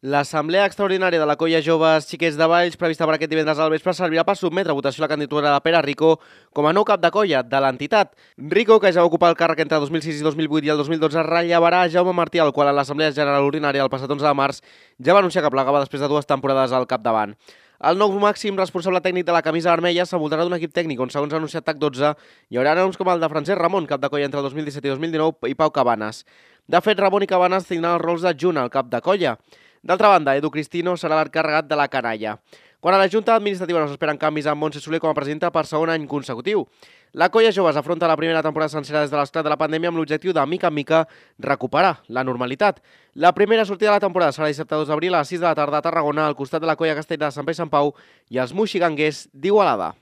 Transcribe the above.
L'Assemblea Extraordinària de la Colla Joves Xiquets de Valls, prevista per aquest divendres al vespre, servirà per sotmetre a votació la candidatura de Pere Rico com a nou cap de colla de l'entitat. Rico, que ja va ocupar el càrrec entre 2006 i 2008 i el 2012, rellevarà a Jaume Martí, el qual a l'Assemblea General Ordinària el passat 11 de març ja va anunciar que plegava després de 2 temporades al capdavant. El nou màxim responsable tècnic de la camisa vermella s'envoltarà d'un equip tècnic on, segons ha anunciat TAC12, hi haurà noms com el de Francesc Ramon, cap de colla entre el 2017 i 2019, i Pau Cabanes. De fet, Ramon i Cabanes tindran els rols d'adjunt al cap de colla. D'altra banda, Edu Cristino serà l'encarregat de la canalla. Quan a la Junta Administrativa no s'esperen canvis amb Montse Soler com a presidenta per segon any consecutiu. La Colla Joves afronta la primera temporada sencera des de l'esclat de la pandèmia amb l'objectiu de, mica en mica, recuperar la normalitat. La primera sortida de la temporada serà dissabte 2 d'abril a les 6 de la tarda a Tarragona, al costat de la Colla Castell de Sant Pere i Sant Pau i els moixiganguers d'Igualada.